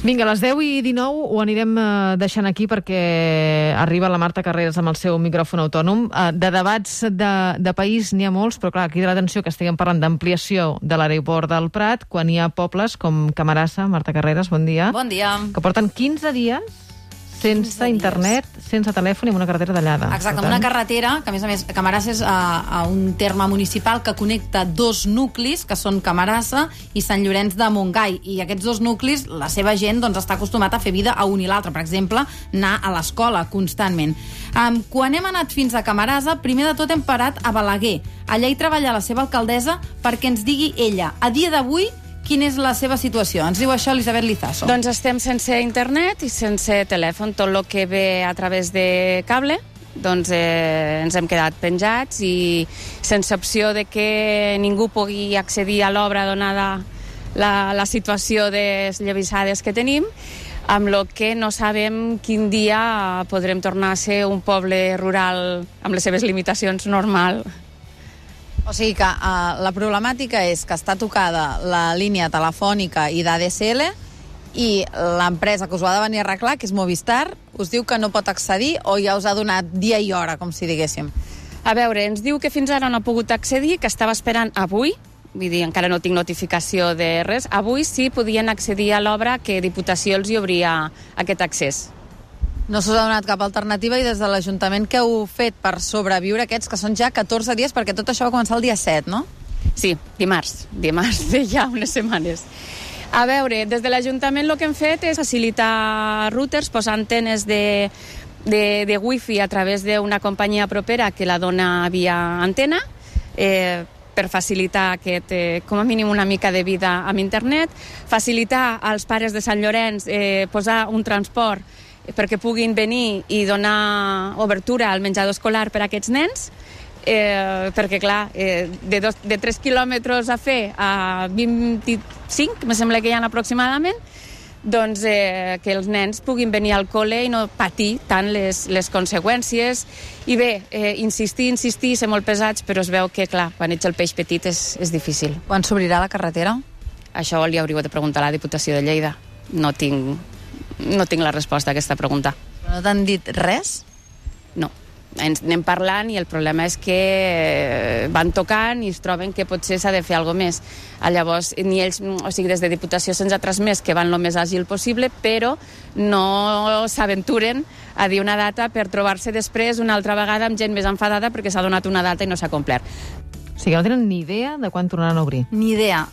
Vinga, a les 10:19 ho anirem deixant aquí perquè arriba la Marta Carreras amb el seu micròfon autònom. De debats de país n'hi ha molts, però clar, crida l'atenció que estiguem parlant d'ampliació de l'aeroport del Prat quan hi ha pobles com Camarasa. Marta Carreras, bon dia. Bon dia. Que porten 15 dies sense internet, sense telèfon i amb una carretera tallada. Exacte, amb una carretera, que a més Camarasa és un terme municipal que connecta dos nuclis, que són Camarasa i Sant Llorenç de Montgai. I aquests dos nuclis, la seva gent està acostumat a fer vida a un i l'altre. Per exemple, anar a l'escola constantment. Quan hem anat fins a Camarasa, primer de tot hem parat a Balaguer. Allà hi treballa la seva alcaldessa perquè ens digui ella, a dia d'avui, quina és la seva situació. Ens diu això Elisabet Lizaso. Doncs estem sense internet i sense telèfon. Tot el que ve a través de cable, doncs ens hem quedat penjats i sense opció de que ningú pugui accedir a l'obra donada la situació desllavissades que tenim, amb el que no sabem quin dia podrem tornar a ser un poble rural amb les seves limitacions normal. O sigui que la problemàtica és que està tocada la línia telefònica i d'ADSL i l'empresa que us ho ha de venir a arreglar, que és Movistar, us diu que no pot accedir o ja us ha donat dia i hora, com si diguéssim. A veure, ens diu que fins ara no ha pogut accedir, que estava esperant avui, vull dir, encara no tinc notificació de res, avui sí podien accedir a l'obra que Diputació els hi obria aquest accés. No s'us ha donat cap alternativa i des de l'Ajuntament què heu fet per sobreviure aquests, que són ja 14 dies, perquè tot això va començar el dia 7, no? Sí, dimarts de ja unes setmanes. A veure, des de l'Ajuntament el que hem fet és facilitar routers, posar antenes de wifi a través d'una companyia propera que la dona via antena, per facilitar com a mínim una mica de vida amb internet, facilitar als pares de Sant Llorenç posar un transport perquè puguin venir i donar obertura al menjador escolar per a aquests nens, perquè clar, de 3 quilòmetres a fer a 25, me sembla que hi ha aproximadament, doncs que els nens puguin venir al col·le i no patir tant les conseqüències. I bé, insistir, ser molt pesats, però es veu que, clar, quan ets el peix petit és difícil. Quan s'obrirà la carretera? Això li hauríeu de preguntar a la Diputació de Lleida. No tinc la resposta a aquesta pregunta. No t'han dit res? No. Ens anem parlant i el problema és que van tocant i es troben que potser s'ha de fer alguna cosa més. Llavors, ni ells, o sigui, des de Diputació se'ns ha transmès que van el més àgil possible, però no s'aventuren a dir una data per trobar-se després una altra vegada amb gent més enfadada perquè s'ha donat una data i no s'ha complert. O sigui, no tenen ni idea de quan tornaran a obrir. Ni idea.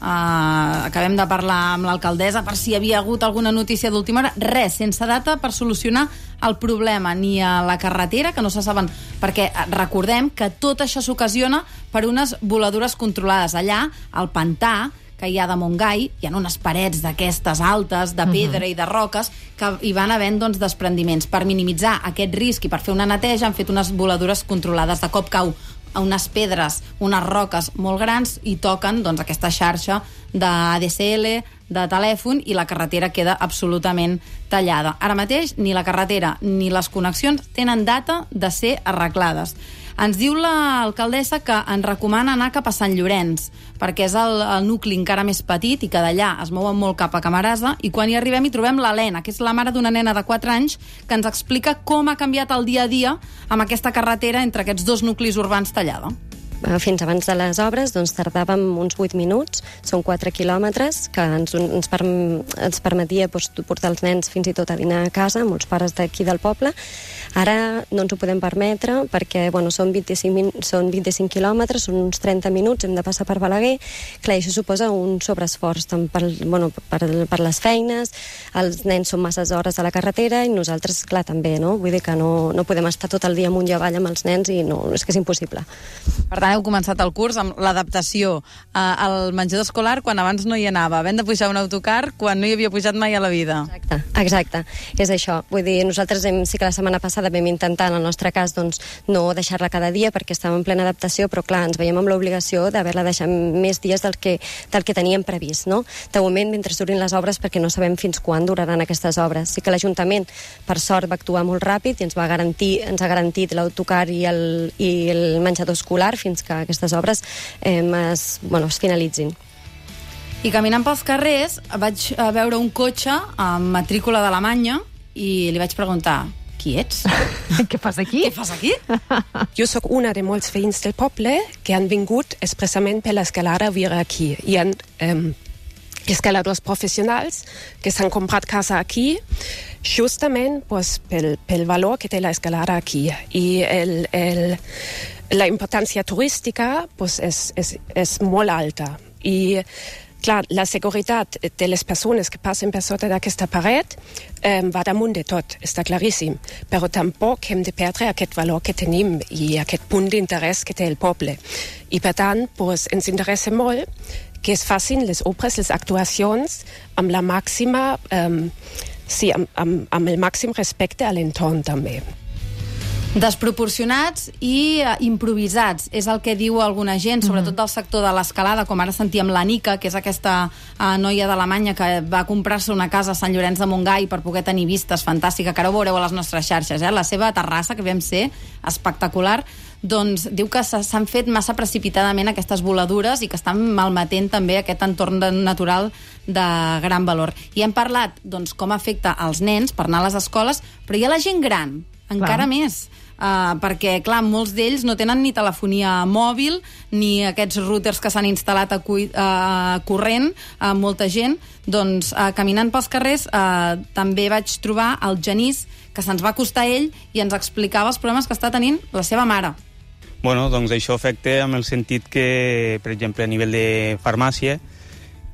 Acabem de parlar amb l'alcaldessa per si hi havia hagut alguna notícia d'última hora. Res, sense data per solucionar el problema, ni a la carretera, que no se saben, perquè recordem que tot això s'ocasiona per unes voladures controlades. Allà, al pantà, que hi ha de Montgai, hi ha unes parets d'aquestes altes, de pedra i de roques, que hi van havent desprendiments. Per minimitzar aquest risc i per fer una neteja han fet unes voladures controlades. De cop cau a unes pedres, unes roques molt grans i toquen aquesta xarxa d'ADSL, de telèfon, i la carretera queda absolutament tallada. Ara mateix ni la carretera ni les connexions tenen data de ser arreglades. Ens diu l'alcaldessa que ens recomana anar cap a Sant Llorenç, perquè és el nucli encara més petit i que d'allà es mouen molt cap a Camarasa, i quan hi arribem hi trobem l'Helena, que és la mare d'una nena de 4 anys, que ens explica com ha canviat el dia a dia amb aquesta carretera entre aquests dos nuclis urbans tallada. Fins abans de les obres tardàvem uns 8 minuts, són 4 quilòmetres, que ens permetia portar els nens fins i tot a dinar a casa, molts pares d'aquí del poble. Ara no ens ho podem permetre perquè són 25 quilòmetres, són uns 30 minuts, hem de passar per Balaguer. Clar, això suposa un sobreesforç tant per les feines, els nens són masses hores a la carretera i nosaltres, clar, també, no? Vull dir que no podem estar tot el dia amunt i avall amb els nens i no, és que és impossible. Per tant, heu començat el curs amb l'adaptació al menjador escolar quan abans no hi anava, havent de pujar un autocar quan no hi havia pujat mai a la vida. Exacte, és això. Vull dir, nosaltres sí que la setmana passada vam intentar, en el nostre cas, no deixar-la cada dia perquè estàvem en plena adaptació, però clar, ens veiem amb l'obligació d'haver-la deixat més dies del que teníem previst, no? De moment, mentre durin les obres, perquè no sabem fins quan duraran aquestes obres. Sí que l'Ajuntament, per sort, va actuar molt ràpid i ens ha garantit l'autocar i el menjador escolar fins que aquestes obres es finalitzin. I caminant pels carrers vaig veure un cotxe amb matrícula d'Alemanya i li vaig preguntar: qui ets? Què fas aquí? Què fas aquí? Jo sóc una de molts veïns del poble que han vingut expressament per l'escalada a viure aquí. Hi ha escaladors professionals que s'han comprat casa aquí justament pel valor que té l'escalada aquí. I la importància turística és molt alta. I clar, la seguretat de les persones que passen per sota d'aquesta paret va damunt de tot, està claríssim. Però tampoc hem de perdre aquest valor que tenim i aquest punt d'interès que té el poble. I per tant, ens interessa molt que es facin les obres, les actuacions amb la màxima, amb el màxim respecte a l'entorn també. Desproporcionats i improvisats, és el que diu alguna gent, sobretot del sector de l'escalada, com ara sentíem la Nica, que és aquesta noia d'Alemanya que va comprar-se una casa a Sant Llorenç de Montgai per poder tenir vistes fantàstica, que ara ho veureu a les nostres xarxes, la seva terrassa, que vam ser espectacular, doncs diu que s'han fet massa precipitadament aquestes voladures i que estan malmetent també aquest entorn natural de gran valor. I hem parlat doncs, com afecta als nens per anar a les escoles, però hi ha la gent gran, encara més, perquè, clar, molts d'ells no tenen ni telefonia mòbil, ni aquests routers que s'han instal·lat a corrent, molta gent. Doncs, caminant pels carrers, també vaig trobar el Genís, que se'ns va acostar a ell i ens explicava els problemes que està tenint la seva mare. Bueno, doncs això afecta en el sentit que, per exemple, a nivell de farmàcia,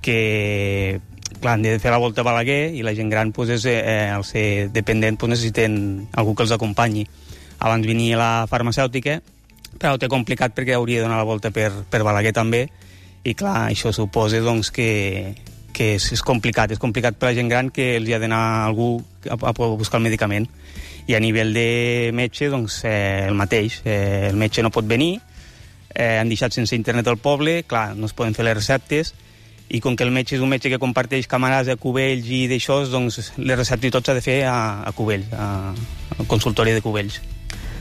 que clar, han de fer la volta a Balaguer i la gent gran, al ser dependent, necessiten algú que els acompanyi. Abans venia la farmacèutica, però ho té complicat perquè hauria de donar la volta per Balaguer també, i clar, això suposa doncs, que és complicat. És complicat per la gent gran que els hi ha d'anar algú a buscar el medicament. I a nivell de metge, doncs, el mateix. El metge no pot venir, han deixat sense internet al poble, clar, no es poden fer les receptes, i com que el metge és un metge que comparteix camarades a Cubells i d'això, doncs les receptes i tot s'ha de fer a Cubells, al consultori de Cubells.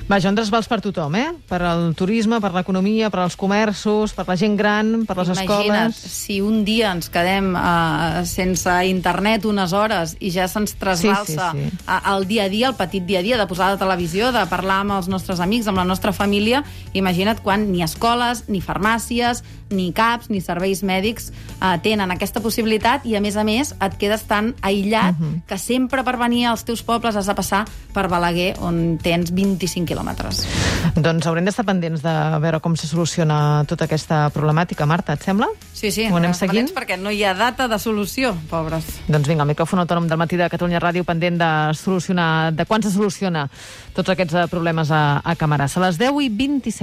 Vaja, un trasbals per tothom, per al turisme, per l'economia, per als comerços, per la gent gran, per les escoles. Imagina't, si un dia ens quedem sense internet unes hores i ja se'ns trasbalsa el dia a dia, el petit dia a dia, de posar la televisió, de parlar amb els nostres amics, amb la nostra família, imagina't quan ni escoles, ni farmàcies, ni CAPs, ni serveis mèdics tenen aquesta possibilitat i, a més, et quedes tan aïllat que sempre per venir als teus pobles has de passar per Balaguer, on tens 25 quilòmetres. Doncs haurem d'estar pendents de veure com se soluciona tota aquesta problemàtica. Marta, et sembla? Sí, ho anem seguint? Perquè no hi ha data de solució, pobres. Doncs vinga, el micròfon autònom del matí de Catalunya Ràdio pendent de quan se soluciona tots aquests problemes a Camarasa. A les 10:27.